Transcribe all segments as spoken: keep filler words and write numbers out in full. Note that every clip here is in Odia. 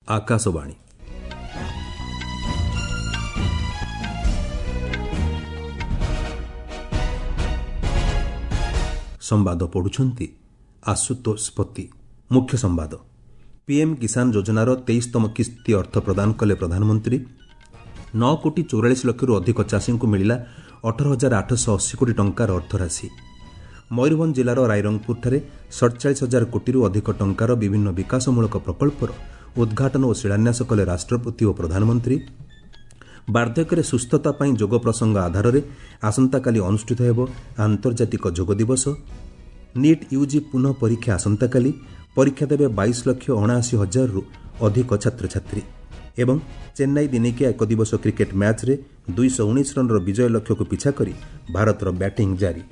ଆକାଶବାଣୀ। ସମ୍ବାଦ ପଢୁଛନ୍ତି ଆଶୁତୋଷ ପତି। ମୁଖ୍ୟ ସମ୍ବାଦ। ପିଏମ୍ କିଷାନ ଯୋଜନାର ତେଇଶତମ କିସ୍ତି ଅର୍ଥ ପ୍ରଦାନ କଲେ ପ୍ରଧାନମନ୍ତ୍ରୀ। ନଅ କୋଟି ଚଉରାଳିଶ ଲକ୍ଷରୁ ଅଧିକ ଚାଷୀଙ୍କୁ ମିଳିଲା ଅଠର ହଜାର ଆଠଶହ ଅଶୀ କୋଟି ଟଙ୍କାର ଅର୍ଥରାଶି। ମୟୂରଭଞ୍ଜ ଜିଲ୍ଲାର ରାଇରଙ୍ଗପୁରଠାରେ ସଡ଼ଚାଳିଶ ହଜାର କୋଟିରୁ ଅଧିକ ଟଙ୍କାର ବିଭିନ୍ନ ବିକାଶମୂଳକ ପ୍ରକଳ୍ପର ଉଦ୍ଘାଟନ ଓ ଶିଳାନ୍ୟାସ କଲେ ରାଷ୍ଟ୍ରପତି ଓ ପ୍ରଧାନମନ୍ତ୍ରୀ। ବାର୍ଦ୍ଧକ୍ୟରେ ସୁସ୍ଥତା ପାଇଁ ଯୋଗ ପ୍ରସଙ୍ଗ ଆଧାରରେ ଆସନ୍ତାକାଲି ଅନୁଷ୍ଠିତ ହେବ ଆନ୍ତର୍ଜାତିକ ଯୋଗ ଦିବସ। ନିଟ୍ ୟୁଜି ପୁନଃ ପରୀକ୍ଷା ଆସନ୍ତାକାଲି, ପରୀକ୍ଷା ଦେବେ ବାଇଶ ଲକ୍ଷ ଅଣାଅଶୀ ହଜାରରୁ ଅଧିକ ଛାତ୍ରଛାତ୍ରୀ। ଏବଂ ଚେନ୍ନାଇ ଦିନିକିଆ ଏକଦିବସ କ୍ରିକେଟ୍ ମ୍ୟାଚ୍ରେ ଦୁଇଶହ ଉଣେଇଶ ରନ୍ର ବିଜୟ ଲକ୍ଷ୍ୟକୁ ପିଛା କରି ଭାରତର ବ୍ୟାଟିଂ ଜାରି।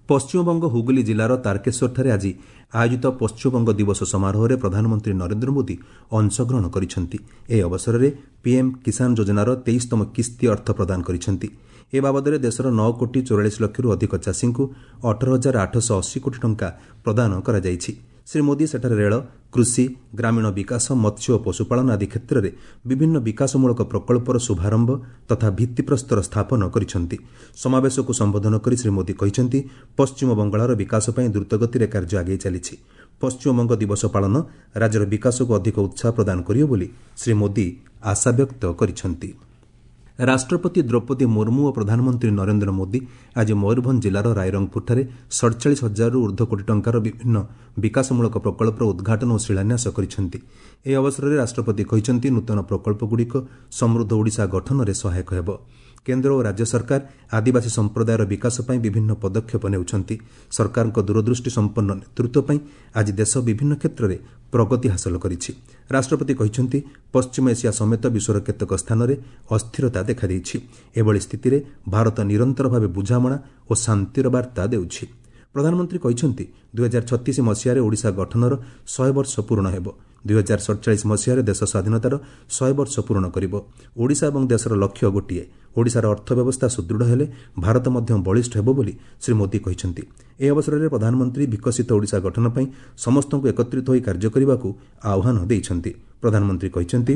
ପଶ୍ଚିମବଙ୍ଗ ହୁଗୁଲି ଜିଲ୍ଲାର ତାରକେଶ୍ୱରଠାରେ ଆଜି ଆୟୋଜିତ ପଶ୍ଚିମବଙ୍ଗ ଦିବସ ସମାରୋହରେ ପ୍ରଧାନମନ୍ତ୍ରୀ ନରେନ୍ଦ୍ର ମୋଦି ଅଂଶଗ୍ରହଣ କରିଛନ୍ତି। ଏହି ଅବସରରେ ପିଏମ୍ କିଷାନ ଯୋଜନାର ତେଇଶତମ କିସ୍ତି ଅର୍ଥ ପ୍ରଦାନ କରିଛନ୍ତି। ଏ ବାବଦରେ ଦେଶର ନଅ କୋଟି ଚଉରାଳିଶ ଲକ୍ଷରୁ ଅଧିକ ଚାଷୀଙ୍କୁ ଅଠର ହଜାର ଆଠଶହ ଅଶୀ କୋଟି ଟଙ୍କା ପ୍ରଦାନ କରାଯାଇଛି। ଶ୍ରୀ ମୋଦି ସେଠାରେ ରେଳ, କୃଷି, ଗ୍ରାମୀଣ ବିକାଶ, ମତ୍ସ୍ୟ ଓ ପଶୁପାଳନ ଆଦି କ୍ଷେତ୍ରରେ ବିଭିନ୍ନ ବିକାଶମୂଳକ ପ୍ରକଳ୍ପର ଶୁଭାରମ୍ଭ ତଥା ଭିତ୍ତିପ୍ରସ୍ତର ସ୍ଥାପନ କରିଛନ୍ତି। ସମାବେଶକୁ ସମ୍ବୋଧନ କରି ଶ୍ରୀ ମୋଦି କହିଛନ୍ତି, ପଶ୍ଚିମବଙ୍ଗଳାର ବିକାଶ ପାଇଁ ଦ୍ରୁତଗତିରେ କାର୍ଯ୍ୟ ଆଗେଇ ଚାଲିଛି। ପଶ୍ଚିମବଙ୍ଗ ଦିବସ ପାଳନ ରାଜ୍ୟର ବିକାଶକୁ ଅଧିକ ଉତ୍ସାହ ପ୍ରଦାନ କରିବ ବୋଲି ଶ୍ରୀ ମୋଦି ଆଶାବ୍ୟକ୍ତ କରିଛନ୍ତି। ରାଷ୍ଟ୍ରପତି ଦ୍ରୌପଦୀ ମୁର୍ମୁ ଓ ପ୍ରଧାନମନ୍ତ୍ରୀ ନରେନ୍ଦ୍ର ମୋଦି ଆଜି ମୟୂରଭଞ୍ଜ ଜିଲ୍ଲାର ରାଇରଙ୍ଗପୁରଠାରେ ସଡ଼ଚାଳିଶ ହଜାରରୁ ଊର୍ଦ୍ଧ୍ୱ କୋଟି ଟଙ୍କାର ବିଭିନ୍ନ ବିକାଶମୂଳକ ପ୍ରକଳ୍ପର ଉଦ୍ଘାଟନ ଓ ଶିଳାନ୍ୟାସ କରିଛନ୍ତି। ଏହି ଅବସରରେ ରାଷ୍ଟ୍ରପତି କହିଛନ୍ତି, ନୂତନ ପ୍ରକଳ୍ପଗୁଡ଼ିକ ସମୃଦ୍ଧ ଓଡ଼ିଶା ଗଠନରେ ସହାୟକ ହେବ। କେନ୍ଦ୍ର ଓ ରାଜ୍ୟ ସରକାର ଆଦିବାସୀ ସମ୍ପ୍ରଦାୟର ବିକାଶ ପାଇଁ ବିଭିନ୍ନ ପଦକ୍ଷେପ ନେଉଛନ୍ତି। ସରକାରଙ୍କ ଦୂରଦୃଷ୍ଟି ସମ୍ପନ୍ନ ନେତୃତ୍ୱ ପାଇଁ ଆଜି ଦେଶ ବିଭିନ୍ନ କ୍ଷେତ୍ରରେ ପ୍ରଗତି ହାସଲ କରିଛି। ରାଷ୍ଟ୍ରପତି କହିଛନ୍ତି, ପଶ୍ଚିମ ଏସିଆ ସମେତ ବିଶ୍ୱର କେତେକ ସ୍ଥାନରେ ଅସ୍ଥିରତା ଦେଖାଦେଇଛି। ଏଭଳି ସ୍ଥିତିରେ ଭାରତ ନିରନ୍ତର ଭାବେ ବୁଝାମଣା ଓ ଶାନ୍ତିର ବାର୍ତ୍ତା ଦେଉଛି। ପ୍ରଧାନମନ୍ତ୍ରୀ କହିଛନ୍ତି, ଦୁଇହଜାର ଛତିଶ ମସିହାରେ ଓଡ଼ିଶା ଗଠନର ଶହେ ବର୍ଷ ପୂରଣ ହେବ। ଦୁଇହଜାର ସଡ଼ଚାଳିଶ ମସିହାରେ ଦେଶ ସ୍ୱାଧୀନତାର ଶହେ ବର୍ଷ ପୂରଣ କରିବ। ଓଡ଼ିଶା ଏବଂ ଦେଶର ଲକ୍ଷ୍ୟ ଗୋଟିଏ। ଓଡ଼ିଶାର ଅର୍ଥ ବ୍ୟବସ୍ଥା ସୁଦୃଢ଼ ହେଲେ ଭାରତ ମଧ୍ୟ ବଳିଷ୍ଠ ହେବ ବୋଲି ଶ୍ରୀ ମୋଦି କହିଛନ୍ତି। ଏହି ଅବସରରେ ପ୍ରଧାନମନ୍ତ୍ରୀ ବିକଶିତ ଓଡ଼ିଶା ଗଠନ ପାଇଁ ସମସ୍ତଙ୍କୁ ଏକତ୍ରିତ ହୋଇ କାର୍ଯ୍ୟ କରିବାକୁ ଆହ୍ୱାନ ଦେଇଛନ୍ତି। ପ୍ରଧାନମନ୍ତ୍ରୀ କହିଛନ୍ତି,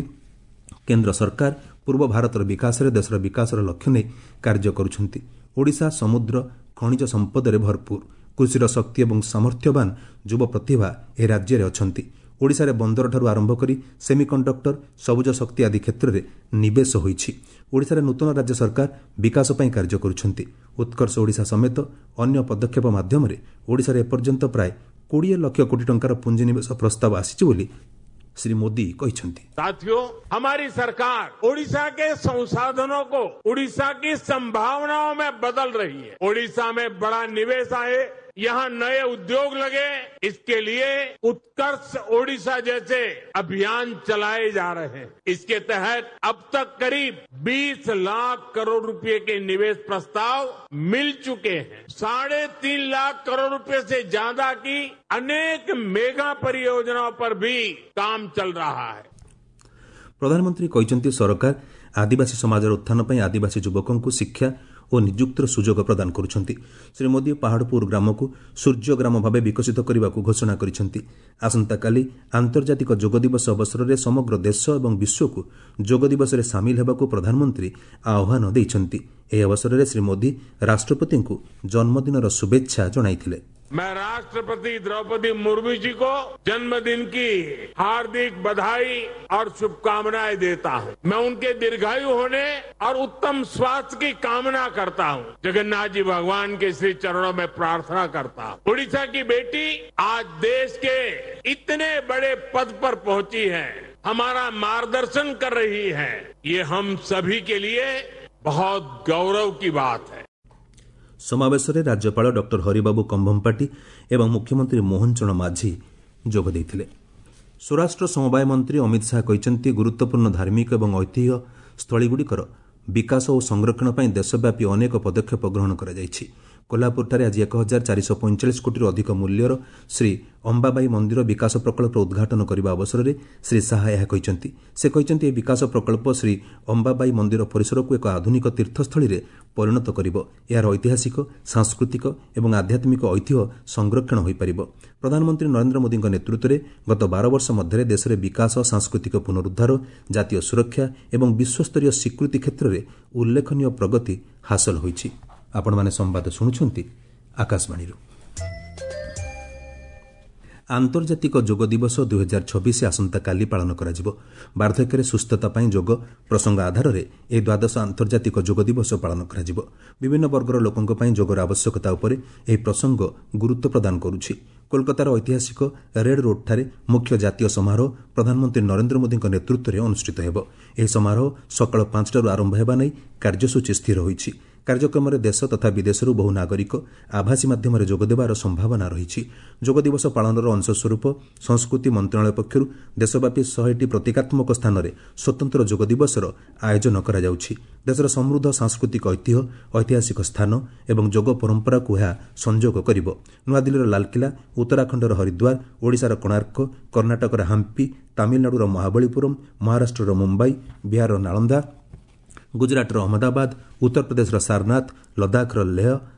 କେନ୍ଦ୍ର ସରକାର ପୂର୍ବ ଭାରତର ବିକାଶରେ ଦେଶର ବିକାଶର ଲକ୍ଷ୍ୟ ନେଇ କାର୍ଯ୍ୟ କରୁଛନ୍ତି। ଓଡ଼ିଶା ସମୁଦ୍ର, ଖଣିଜ ସମ୍ପଦରେ ଭରପୁର। କୃଷିର ଶକ୍ତି ଏବଂ ସାମର୍ଥ୍ୟବାନ ଯୁବ ପ୍ରତିଭା ଏହି ରାଜ୍ୟରେ ଅଛନ୍ତି। ଓଡ଼ିଶାରେ ବନ୍ଦରଠାରୁ ଆରମ୍ଭ କରି ସେମିକଣ୍ଡକ୍ଟର, ସବୁଜ ଶକ୍ତି ଆଦି କ୍ଷେତ୍ରରେ ନିବେଶ ହୋଇଛି। ଓଡ଼ିଶାରେ ନୂତନ ରାଜ୍ୟ ସରକାର ବିକାଶ ପାଇଁ କାର୍ଯ୍ୟ କରୁଛନ୍ତି। ଉତ୍କର୍ଷ ଓଡ଼ିଶା ସମେତ ଅନ୍ୟ ପଦକ୍ଷେପ ମାଧ୍ୟମରେ ଓଡ଼ିଶାରେ ଏପର୍ଯ୍ୟନ୍ତ ପ୍ରାୟ କୋଡ଼ିଏ ଲକ୍ଷ କୋଟି ଟଙ୍କାର ପୁଞ୍ଜିନିବେଶ ପ୍ରସ୍ତାବ ଆସିଛି ବୋଲି ଶ୍ରୀ ମୋଦି କହିଛନ୍ତି। साथियों, हमारी सरकार ओडिशा के संसाधनों को ओडिशा की संभावनाओं में बदल रही है। ओडिशा में बड़ा निवेश आए, यहाँ नए उद्योग लगे, इसके लिए उत्कर्ष ओडिशा जैसे अभियान चलाए जा रहे हैं। इसके तहत अब तक करीब बीस लाख करोड़ रुपए के निवेश प्रस्ताव मिल चुके हैं। साढ़े तीन लाख करोड़ रुपए से ज्यादा की अनेक मेगा परियोजनाओं पर भी काम चल रहा है। ପ୍ରଧାନମନ୍ତ୍ରୀ କହିଛନ୍ତି, ସରକାର ଆଦିବାସୀ ସମାଜର ଉତ୍ଥାନ ପାଇଁ ଆଦିବାସୀ ଯୁବକଙ୍କୁ ଶିକ୍ଷା ଓ ନିଯୁକ୍ତିର ସୁଯୋଗ ପ୍ରଦାନ କରୁଛନ୍ତି। ଶ୍ରୀ ମୋଦି ପାହାଡ଼ପୁର ଗ୍ରାମକୁ ସୂର୍ଯ୍ୟ ଗ୍ରାମ ଭାବେ ବିକଶିତ କରିବାକୁ ଘୋଷଣା କରିଛନ୍ତି। ଆସନ୍ତାକାଲି ଆନ୍ତର୍ଜାତିକ ଯୋଗ ଦିବସ ଅବସରରେ ସମଗ୍ର ଦେଶ ଏବଂ ବିଶ୍ୱକୁ ଯୋଗ ଦିବସରେ ସାମିଲ ହେବାକୁ ପ୍ରଧାନମନ୍ତ୍ରୀ ଆହ୍ୱାନ ଦେଇଛନ୍ତି। ଏହି ଅବସରରେ ଶ୍ରୀ ମୋଦି ରାଷ୍ଟ୍ରପତିଙ୍କୁ ଜନ୍ମଦିନର ଶୁଭେଚ୍ଛା ଜଣାଇଥିଲେ। मैं राष्ट्रपति द्रौपदी मुर्मू जी को जन्मदिन की हार्दिक बधाई और शुभकामनाएं देता हूं। मैं उनके दीर्घायु होने और उत्तम स्वास्थ्य की कामना करता हूं। जगन्नाथ जी भगवान के श्री चरणों में प्रार्थना करता हूं। ओडिशा की बेटी आज देश के इतने बड़े पद पर पहुंची है, हमारा मार्गदर्शन कर रही है। ये हम सभी के लिए बहुत गौरव की बात है। ସମାବେଶରେ ରାଜ୍ୟପାଳ ଡକ୍ଟର ହରିବାବୁ କମ୍ଭମପାଟି ଏବଂ ମୁଖ୍ୟମନ୍ତ୍ରୀ ମୋହନ ଚରଣ ମାଝୀ ଯୋଗ ଦେଇଥିଲେ। ସ୍ୱରାଷ୍ଟ୍ର ସମବାୟ ମନ୍ତ୍ରୀ ଅମିତ ଶାହା କହିଛନ୍ତି, ଗୁରୁତ୍ୱପୂର୍ଣ୍ଣ ଧାର୍ମିକ ଏବଂ ଐତିହ୍ୟ ସ୍ଥଳୀଗୁଡ଼ିକର ବିକାଶ ଓ ସଂରକ୍ଷଣ ପାଇଁ ଦେଶବ୍ୟାପୀ ଅନେକ ପଦକ୍ଷେପ ଗ୍ରହଣ କରାଯାଇଛି। କୋହ୍ଲାପୁରଠାରେ ଆଜି ଏକ ହଜାର ଚାରିଶହ ପଇଁଚାଳିଶ କୋଟିରୁ ଅଧିକ ମୂଲ୍ୟର ଶ୍ରୀ ଅମ୍ବାବାଇ ମନ୍ଦିର ବିକାଶ ପ୍ରକଳ୍ପର ଉଦ୍ଘାଟନ କରିବା ଅବସରରେ ଶ୍ରୀ ଶାହା ଏହା କହିଛନ୍ତି। ସେ କହିଛନ୍ତି, ଏହି ବିକାଶ ପ୍ରକଳ୍ପ ଶ୍ରୀ ଅମ୍ବାବାଇ ମନ୍ଦିର ପରିସରକୁ ଏକ ଆଧୁନିକ ତୀର୍ଥସ୍ଥଳୀରେ ପରିଣତ କରିବ। ଏହାର ଐତିହାସିକ, ସାଂସ୍କୃତିକ ଏବଂ ଆଧ୍ୟାତ୍ମିକ ଐତିହ୍ୟ ସଂରକ୍ଷଣ ହୋଇପାରିବ। ପ୍ରଧାନମନ୍ତ୍ରୀ ନରେନ୍ଦ୍ର ମୋଦିଙ୍କ ନେତୃତ୍ୱରେ ଗତ ବାର ବର୍ଷ ମଧ୍ୟରେ ଦେଶରେ ବିକାଶ, ସାଂସ୍କୃତିକ ପୁନରୁଦ୍ଧାର, ଜାତୀୟ ସୁରକ୍ଷା ଏବଂ ବିଶ୍ୱସ୍ତରୀୟ ସ୍ୱୀକୃତି କ୍ଷେତ୍ରରେ ଉଲ୍ଲେଖନୀୟ ପ୍ରଗତି ହାସଲ ହୋଇଛି। ଆପଣମାନେ ସମ୍ବାଦ ଶୁଣୁଛନ୍ତି ଆକାଶବାଣୀରୁ। ଆନ୍ତର୍ଜାତିକ ଯୋଗ ଦିବସ ଦୁଇହଜାର ଛବିଶ ଆସନ୍ତାକାଲି ପାଳନ କରାଯିବ। ବାର୍ଦ୍ଧକ୍ୟରେ ସୁସ୍ଥତା ପାଇଁ ଯୋଗ ପ୍ରସଙ୍ଗ ଆଧାରରେ ଏହି ଦ୍ୱାଦଶ ଆନ୍ତର୍ଜାତିକ ଯୋଗ ଦିବସ ପାଳନ କରାଯିବ। ବିଭିନ୍ନ ବର୍ଗର ଲୋକଙ୍କ ପାଇଁ ଯୋଗର ଆବଶ୍ୟକତା ଉପରେ ଏହି ପ୍ରସଙ୍ଗ ଗୁରୁତ୍ୱ ପ୍ରଦାନ କରୁଛି। କୋଲକାତାର ଐତିହାସିକ ରେଡ୍ ରୋଡ୍ଠାରେ ମୁଖ୍ୟ ଜାତୀୟ ସମାରୋହ ପ୍ରଧାନମନ୍ତ୍ରୀ ନରେନ୍ଦ୍ର ମୋଦିଙ୍କ ନେତୃତ୍ୱରେ ଅନୁଷ୍ଠିତ ହେବ। ଏହି ସମାରୋହ ସକାଳ ପାଞ୍ଚଟାରୁ ଆରମ୍ଭ ହେବା ନେଇ କାର୍ଯ୍ୟସୂଚୀ ସ୍ଥିର ହୋଇଛି। କାର୍ଯ୍ୟକ୍ରମରେ ଦେଶ ତଥା ବିଦେଶରୁ ବହୁ ନାଗରିକ ଆଭାସୀ ମାଧ୍ୟମରେ ଯୋଗଦେବାର ସମ୍ଭାବନା ରହିଛି। ଯୋଗ ଦିବସ ପାଳନର ଅଂଶସ୍ୱରୂପ ସଂସ୍କୃତି ମନ୍ତ୍ରଣାଳୟ ପକ୍ଷରୁ ଦେଶବ୍ୟାପୀ ଶହେଟି ପ୍ରତୀକାତ୍ମକ ସ୍ଥାନରେ ସ୍ୱତନ୍ତ୍ର ଯୋଗ ଦିବସର ଆୟୋଜନ କରାଯାଉଛି। ଦେଶର ସମୃଦ୍ଧ ସାଂସ୍କୃତିକ ଐତିହ୍ୟ, ଐତିହାସିକ ସ୍ଥାନ ଏବଂ ଯୋଗ ପରମ୍ପରାକୁ ଏହା ସଂଯୋଗ କରିବ। ନୂଆଦିଲ୍ଲୀର ଲାଲକିଲ୍ଲା, ଉତ୍ତରାଖଣ୍ଡର ହରିଦ୍ୱାର, ଓଡ଼ିଶାର କୋଣାର୍କ, କର୍ଣ୍ଣାଟକର ହାମ୍ପି, ତାମିଲନାଡୁର ମହାବଳୀପୁରମ୍, ମହାରାଷ୍ଟ୍ରର ମୁମ୍ବାଇ, ବିହାରର ନାଳନ୍ଦା, ଗୁଜରାଟର ଅହମ୍ମଦାବାଦ, ଉତ୍ତରପ୍ରଦେଶର ସାରନାଥ, ଲଦାଖର ଲେହ,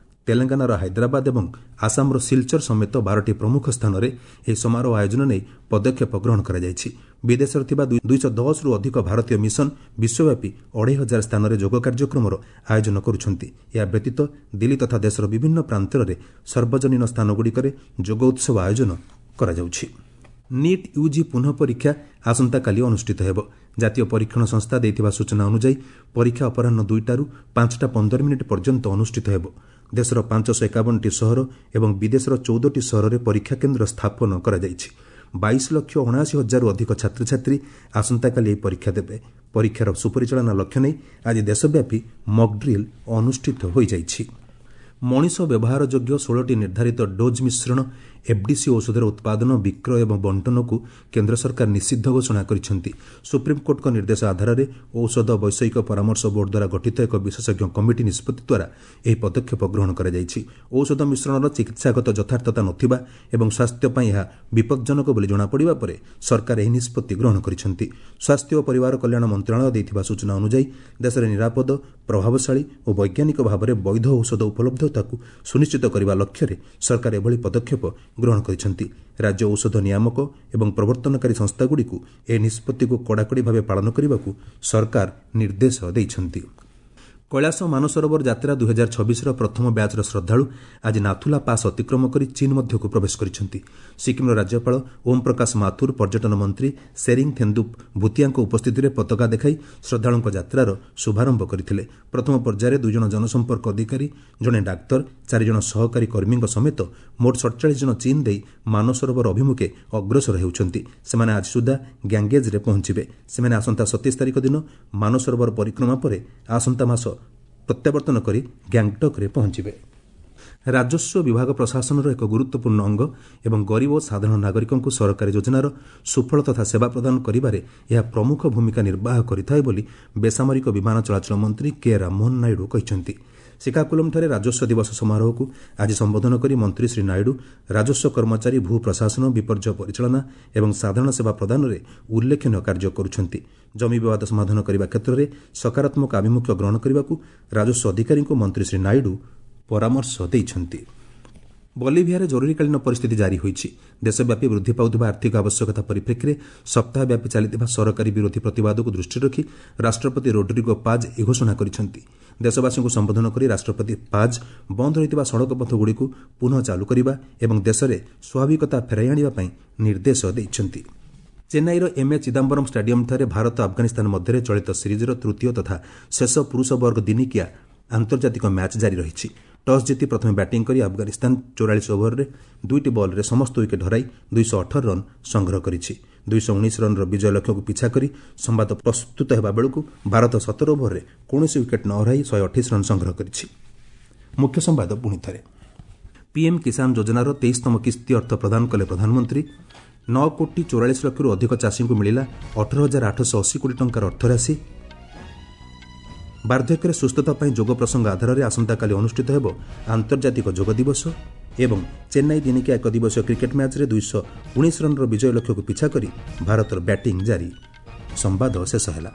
ତେଲେଙ୍ଗାନାର ହାଇଦ୍ରାବାଦ ଏବଂ ଆସାମର ସିଲଚର ସମେତ ବାରଟି ପ୍ରମୁଖ ସ୍ଥାନରେ ଏହି ସମାରୋହ ଆୟୋଜନ ନେଇ ପଦକ୍ଷେପ ଗ୍ରହଣ କରାଯାଇଛି। ବିଦେଶରେ ଥିବା ଦୁଇଶହ ଦଶରୁ ଅଧିକ ଭାରତୀୟ ମିଶନ ବିଶ୍ୱବ୍ୟାପୀ ଅଢ଼େଇ ହଜାର ସ୍ଥାନରେ ଯୋଗ କାର୍ଯ୍ୟକ୍ରମର ଆୟୋଜନ କରୁଛନ୍ତି। ଏହା ବ୍ୟତୀତ ଦିଲ୍ଲୀ ତଥା ଦେଶର ବିଭିନ୍ନ ପ୍ରାନ୍ତରରେ ସାର୍ବଜନୀନ ସ୍ଥାନଗୁଡ଼ିକରେ ଯୋଗ ଉତ୍ସବ ଆୟୋଜନ କରାଯାଉଛି। ନିଟ୍ ୟୁଜି ପୁନଃ ପରୀକ୍ଷା ଆସନ୍ତାକାଲି ଅନୁଷ୍ଠିତ ହେବ। ଜାତୀୟ ପରୀକ୍ଷଣ ସଂସ୍ଥା ଦେଇଥିବା ସୂଚନା ଅନୁଯାୟୀ ପରୀକ୍ଷା ଅପରାହ୍ନ ଦୁଇଟାରୁ ପାଞ୍ଚଟା ପନ୍ଦର ମିନିଟ୍ ପର୍ଯ୍ୟନ୍ତ ଅନୁଷ୍ଠିତ ହେବ। ଦେଶର ପାଞ୍ଚଶହ ଏକାବନଟି ସହର ଏବଂ ବିଦେଶର ଚଉଦଟି ସହରରେ ପରୀକ୍ଷା କେନ୍ଦ୍ର ସ୍ଥାପନ କରାଯାଇଛି। ବାଇଶ ଲକ୍ଷ ଅଣାଅଶୀ ହଜାରରୁ ଅଧିକ ଛାତ୍ରଛାତ୍ରୀ ଆସନ୍ତାକାଲି ଏହି ପରୀକ୍ଷା ଦେବେ। ପରୀକ୍ଷାର ସୁପରିଚାଳନା ଲକ୍ଷ୍ୟ ନେଇ ଆଜି ଦେଶବ୍ୟାପୀ ମକ୍ଡ୍ରିଲ୍ ଅନୁଷ୍ଠିତ ହୋଇଯାଇଛି। ମଣିଷ ବ୍ୟବହାର ଯୋଗ୍ୟ ଷୋହଳଟି ନିର୍ଦ୍ଧାରିତ ଡୋଜ୍ ମିଶ୍ରଣ ଏଫ୍ଡିସି ଔଷଧର ଉତ୍ପାଦନ, ବିକ୍ରୟ ଏବଂ ବଣ୍ଟନକୁ କେନ୍ଦ୍ର ସରକାର ନିଷିଦ୍ଧ ଘୋଷଣା କରିଛନ୍ତି। ସୁପ୍ରିମକୋର୍ଟଙ୍କ ନିର୍ଦ୍ଦେଶ ଆଧାରରେ ଔଷଧ ବୈଷୟିକ ପରାମର୍ଶ ବୋର୍ଡ ଦ୍ୱାରା ଗଠିତ ଏକ ବିଶେଷଜ୍ଞ କମିଟି ନିଷ୍ପତ୍ତି ଦ୍ୱାରା ଏହି ପଦକ୍ଷେପ ଗ୍ରହଣ କରାଯାଇଛି। ଔଷଧ ମିଶ୍ରଣର ଚିକିତ୍ସାଗତ ଯଥାର୍ଥତା ନଥିବା ଏବଂ ସ୍ୱାସ୍ଥ୍ୟ ପାଇଁ ଏହା ବିପଜ୍ଜନକ ବୋଲି ଜଣାପଡ଼ିବା ପରେ ସରକାର ଏହି ନିଷ୍ପତ୍ତି ଗ୍ରହଣ କରିଛନ୍ତି। ସ୍ୱାସ୍ଥ୍ୟ ଓ ପରିବାର କଲ୍ୟାଣ ମନ୍ତ୍ରଣାଳୟ ଦେଇଥିବା ସୂଚନା ଅନୁଯାୟୀ ଦେଶରେ ନିରାପଦ, ପ୍ରଭାବଶାଳୀ ଓ ବୈଜ୍ଞାନିକ ଭାବରେ ବୈଧ ଔଷଧ ଉପଲବ୍ଧତାକୁ ସୁନିଶ୍ଚିତ କରିବା ଲକ୍ଷ୍ୟରେ ସରକାର ଏଭଳି ପଦକ୍ଷେପ ଗ୍ରହଣ କରିଛନ୍ତି। ରାଜ୍ୟ ଔଷଧ ନିୟାମକ ଏବଂ ପ୍ରବର୍ତ୍ତନକାରୀ ସଂସ୍ଥାଗୁଡ଼ିକୁ ଏହି ନିଷ୍ପତ୍ତିକୁ କଡ଼ାକଡ଼ି ଭାବେ ପାଳନ କରିବାକୁ ସରକାର ନିର୍ଦ୍ଦେଶ ଦେଇଛନ୍ତି। କୈଳାସ ମାନସରୋବର ଯାତ୍ରା ଦୁଇହଜାର ଛବିଶର ପ୍ରଥମ ବ୍ୟାଚ୍ର ଶ୍ରଦ୍ଧାଳୁ ଆଜି ନାଥୁଲା ପାସ୍ ଅତିକ୍ରମ କରି ଚୀନ୍ ମଧ୍ୟକୁ ପ୍ରବେଶ କରିଛନ୍ତି। ସିକ୍କିମ୍ର ରାଜ୍ୟପାଳ ଓମ୍ ପ୍ରକାଶ ମାଥୁର, ପର୍ଯ୍ୟଟନ ମନ୍ତ୍ରୀ ସେରିଂ ଥେନ୍ଦୁପ୍ ଭୁତିଆଙ୍କ ଉପସ୍ଥିତିରେ ପତାକା ଦେଖାଇ ଶ୍ରଦ୍ଧାଳୁଙ୍କ ଯାତ୍ରାର ଶୁଭାରମ୍ଭ କରିଥିଲେ। ପ୍ରଥମ ପର୍ଯ୍ୟାୟରେ ଦୁଇଜଣ ଜନସମ୍ପର୍କ ଅଧିକାରୀ, ଜଣେ ଡାକ୍ତର, ଚାରିଜଣ ସହକାରୀ କର୍ମୀଙ୍କ ସମେତ ମୋଟ ସଡ଼ଚାଳିଶ ଜଣ ଚୀନ୍ ଦେଇ ମାନସରୋବର ଅଭିମୁଖେ ଅଗ୍ରସର ହେଉଛନ୍ତି। ସେମାନେ ଆଜି ସୁଦ୍ଧା ଗ୍ୟାଙ୍ଗେଜ୍ରେ ପହଞ୍ଚିବେ। ସେମାନେ ଆସନ୍ତା ସତେଇଶ ତାରିଖ ଦିନ ମାନସରୋବର ପରିକ୍ରମା ପରେ ଆସନ୍ତା ମାସ ପ୍ରତ୍ୟାବର୍ତ୍ତନ କରି ଗ୍ୟାଙ୍ଗଟକ୍ରେ ପହଞ୍ଚିବେ। ରାଜସ୍ୱ ବିଭାଗ ପ୍ରଶାସନର ଏକ ଗୁରୁତ୍ୱପୂର୍ଣ୍ଣ ଅଙ୍ଗ ଏବଂ ଗରିବ ଓ ସାଧାରଣ ନାଗରିକଙ୍କୁ ସରକାରୀ ଯୋଜନାର ସୁଫଳ ତଥା ସେବା ପ୍ରଦାନ କରିବାରେ ଏହା ପ୍ରମୁଖ ଭୂମିକା ନିର୍ବାହ କରିଥାଏ ବୋଲି ବେସାମରିକ ବିମାନ ଚଳାଚଳ ମନ୍ତ୍ରୀ କେ ରାମମୋହନ ନାଇଡୁ କହିଛନ୍ତି। ଶ୍ରୀକାକୁଲମଠାରେ ରାଜସ୍ୱ ଦିବସ ସମାରୋହକୁ ଆଜି ସମ୍ବୋଧନ କରି ମନ୍ତ୍ରୀ ଶ୍ରୀ ନାଇଡୁ ରାଜସ୍ୱ କର୍ମଚାରୀ ଭୂ ପ୍ରଶାସନ, ବିପର୍ଯ୍ୟୟ ପରିଚାଳନା ଏବଂ ସାଧାରଣ ସେବା ପ୍ରଦାନରେ ଉଲ୍ଲେଖନୀୟ କାର୍ଯ୍ୟ କରୁଛନ୍ତି। ଜମି ବିବାଦ ସମାଧାନ କରିବା କ୍ଷେତ୍ରରେ ସକାରାତ୍ମକ ଆଭିମୁଖ୍ୟ ଗ୍ରହଣ କରିବାକୁ ରାଜସ୍ୱ ଅଧିକାରୀଙ୍କୁ ମନ୍ତ୍ରୀ ଶ୍ରୀ ନାଇଡୁ ପରାମର୍ଶ ଦେଇଛନ୍ତି। ବଲିଭିଆରେ ଜରୁରୀକାଳୀନ ପରିସ୍ଥିତି ଜାରି ହୋଇଛି। ଦେଶବ୍ୟାପୀ ବୃଦ୍ଧି ପାଉଥିବା ଆର୍ଥିକ ଆବଶ୍ୟକତା ପରିପ୍ରେକ୍ଷୀରେ ସପ୍ତାହବ୍ୟାପୀ ଚାଲିଥିବା ସରକାରୀ ବିରୋଧୀ ପ୍ରତିବାଦକୁ ଦୃଷ୍ଟିରେ ରଖି ରାଷ୍ଟ୍ରପତି ରୋଡ୍ରିଗୋ ପାଜ୍ ଏହି ଘୋଷଣା କରିଛନ୍ତି। ଦେଶବାସୀଙ୍କୁ ସମ୍ବୋଧନ କରି ରାଷ୍ଟ୍ରପତି ପାଜ୍ ବନ୍ଦ ରହିଥିବା ସଡ଼କପଥଗୁଡ଼ିକୁ ପୁନଃ ଚାଲୁ କରିବା ଏବଂ ଦେଶରେ ସ୍ୱାଭାବିକତା ଫେରାଇ ଆଣିବା ପାଇଁ ନିର୍ଦ୍ଦେଶ ଦେଇଛନ୍ତି। ଚେନ୍ନାଇର ଏମ୍ଏ ଚିଦାମ୍ବରମ୍ ଷ୍ଟାଡିୟମ୍ଠାରେ ଭାରତ ଆଫଗାନିସ୍ତାନ ମଧ୍ୟରେ ଚଳିତ ସିରିଜ୍ର ତୃତୀୟ ତଥା ଶେଷ ପୁରୁଷ ବର୍ଗ ଦିନିକିଆ ଆନ୍ତର୍ଜାତିକ ମ୍ୟାଚ୍ ଜାରି ରହିଛି। ଟସ୍ ଜିତି ପ୍ରଥମେ ବ୍ୟାଟିଂ କରି ଆଫଗାନିସ୍ତାନ ଚଉରାଳିଶ ଓଭରରେ ଦୁଇଟି ବଲ୍ରେ ସମସ୍ତ ୱିକେଟ୍ ହରାଇ ଦୁଇଶହ ଅଠର ରନ୍ ସଂଗ୍ରହ କରିଛି। ଦୁଇଶହ ଉଣେଇଶ ରନ୍ର ବିଜୟ ଲକ୍ଷ୍ୟକୁ ପିଛା କରି ସମ୍ବାଦ ପ୍ରସ୍ତୁତ ହେବା ବେଳକୁ ଭାରତ ସତର ଓଭରରେ କୌଣସି ୱିକେଟ୍ ନ ହରାଇ ଶହେ ଅଠେଇଶ ରନ୍ ସଂଗ୍ରହ କରିଛି। ମୁଖ୍ୟ ସମ୍ବାଦ ପୁଣି ଥରେ। ପିଏମ୍ କିଷାନ ଯୋଜନାର ତେଇଶତମ କିସ୍ତି ଅର୍ଥ ପ୍ରଦାନ କଲେ ପ୍ରଧାନମନ୍ତ୍ରୀ। ନଅ କୋଟି ଚଉରାଳିଶ ଲକ୍ଷରୁ ଅଧିକ ଚାଷୀଙ୍କୁ ମିଳିଲା ଅଠର ହଜାର ଆଠଶହ ଅଶୀ କୋଟି ଟଙ୍କାର ଅର୍ଥରାଶି। ବାର୍ଦ୍ଧକ୍ୟରେ ସୁସ୍ଥତା ପାଇଁ ଯୋଗ ପ୍ରସଙ୍ଗ ଆଧାରରେ ଆସନ୍ତାକାଲି ଅନୁଷ୍ଠିତ ହେବ ଆନ୍ତର୍ଜାତିକ ଯୋଗ ଦିବସ। ଏବଂ ଚେନ୍ନାଇ ଦିନିକିଆ ଏକ ଦିବସୀୟ କ୍ରିକେଟ୍ ମ୍ୟାଚ୍ରେ ଦୁଇଶହ ଉଣେଇଶ ରନ୍ର ବିଜୟ ଲକ୍ଷ୍ୟକୁ ପିଛା କରି ଭାରତର ବ୍ୟାଟିଂ ଜାରି। ସମ୍ବାଦ ଶେଷ ହେଲା।